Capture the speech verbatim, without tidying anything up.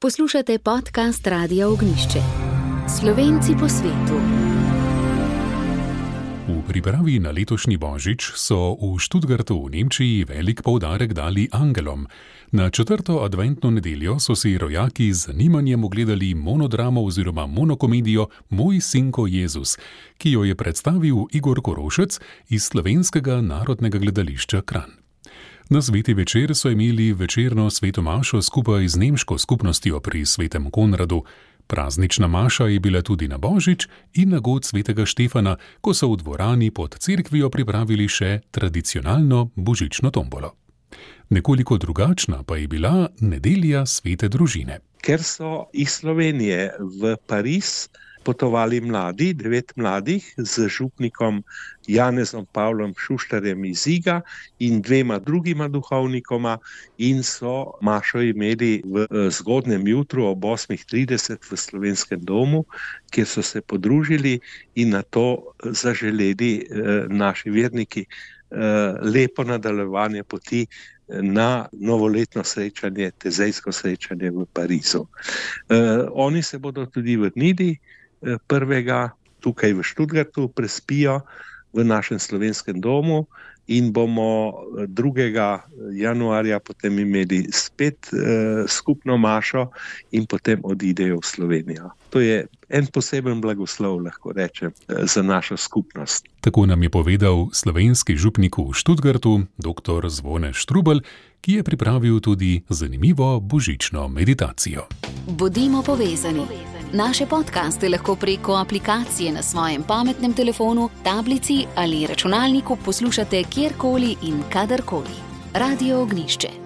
Poslušate podcast Radia Ognjišče. Slovenci po svetu. V pripravi na letošnji božič so v Stuttgartu v Nemčiji velik poudarek dali angelom. Na četrto adventno nedeljo so si rojaki z zanimanjem ogledali monodramo oziroma monokomedijo Moj sinko Jezus, ki jo je predstavil Igor Korošec iz Slovenskega narodnega gledališča Kranj. Na sveti večer so imeli večerno sveto mašo skupaj z nemško skupnostjo pri svetem Konradu. Praznična maša je bila tudi na božič in na god svetega Štefana, ko so v dvorani pod cerkvijo pripravili še tradicionalno božično tombolo. Nekoliko drugačna pa je bila nedelja svete družine. Ker so iz Slovenije v Pariz potovali mladi, devet mladih z župnikom Janezom Pavlom Šuštarjem iz Iga in dvema drugima duhovnikoma in so mašo imeli v zgodnjem jutru ob osmih trideset v Slovenskem domu, kjer so se podružili in na to zaželeli naši verniki lepo nadaljevanje poti na novoletno srečanje, tezejsko srečanje v Parizu. Oni se bodo tudi vrnili prvega tukaj v Stuttgartu, prespijo v našem slovenskem domu in bomo drugega januarja potem imeli spet eh, skupno mašo in potem odidejo v Slovenijo. To je en poseben blagoslov, lahko rečem, za našo skupnost. Tako nam je povedal slovenski župnik v Stuttgartu, doktor Zvone Štrubelj, ki je pripravil tudi zanimivo božično meditacijo. Bodimo povezani. Naše podcaste lahko preko aplikacije na svojem pametnem telefonu, tablici ali računalniku poslušate kjerkoli in kadarkoli. Radio Ognjišče.